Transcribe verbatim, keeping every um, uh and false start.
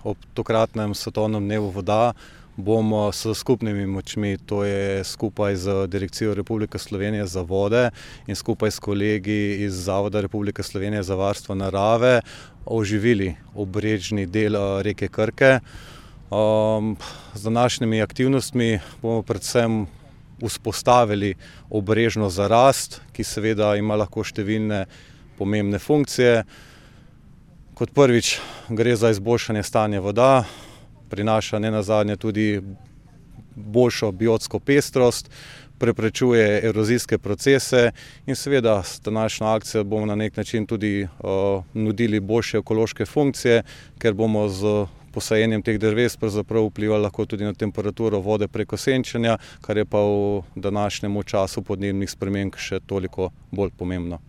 ob tokratnem svetovnem dnevu voda bomo s skupnimi močmi, to je skupaj z Direkcijo Republike Slovenije za vode in skupaj s kolegi iz Zavoda Republike Slovenije za varstvo narave, oživili obrežni del reke Krke. Um, z današnjimi aktivnostmi bomo predvsem vzpostavili obrežno zarast, ki seveda ima lahko številne pomembne funkcije. Kot prvič gre za izboljšanje stanja voda, prinaša nenazadnje tudi boljšo biotsko pestrost, preprečuje erozijske procese in seveda s današnjo akcijo bomo na nek način tudi uh, nudili boljše ekološke funkcije, ker bomo z posajenjem teh dreves pravzaprav vplivali lahko tudi na temperaturo vode preko senčenja, kar je pa v današnjem času podnebnih sprememb še toliko bolj pomembno.